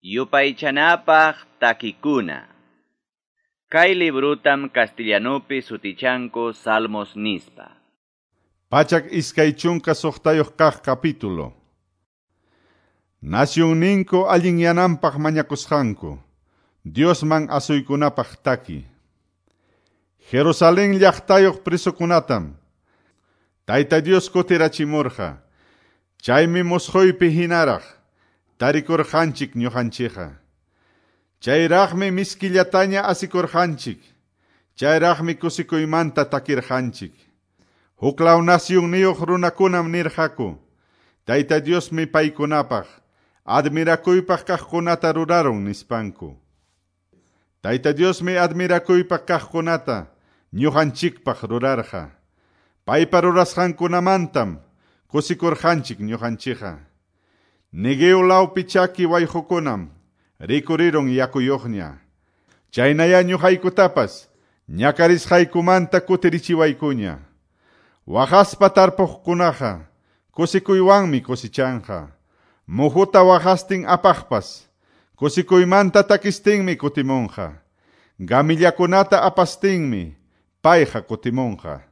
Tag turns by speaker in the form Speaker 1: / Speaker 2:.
Speaker 1: Yupaychanapaq takikuna. Kay librutam castellanupi sutichanku Salmos nispa.
Speaker 2: 126 kaq capítulo. Nasyunninku allinyananpaq mañakusqanku, Diosman asuykunapaq taki. Jerusalén llaqtayuq presokunatam Tayta Dios kutirachimurqa, chaymi musquypi hinaraq tarikurqanchik ñuqanchikqa. Chayraqmi miskillataña asikurqanchik, chayraqmi kusikuymanta takirqanchik. Huklaw nasyunniyuq runakunam nirqaku, Tayta Diosmi paykunapaq admirakuypaq kaqkunata rurarun nispanku. Tayta Diosmi admirakuypaq kaqkunata ñuqanchikpaq rurarqa. Paypa rurasqankunamantam kusikurqanchik ñuqanchikqa. Neguev lawpi chaki wayqukunam rikurirun yakuyuqña. Chaynaya ñuqaykutapas ñakarisqaykumanta kutirichiwaykuña. Waqaspa tarpuqkunaqa kusikuywanmi kusichanqa. Muhuta waqastin apaqpas kusikuymanta takistinmi kutimunqa. Gamillakunata apastinmi payqa kutimunqa.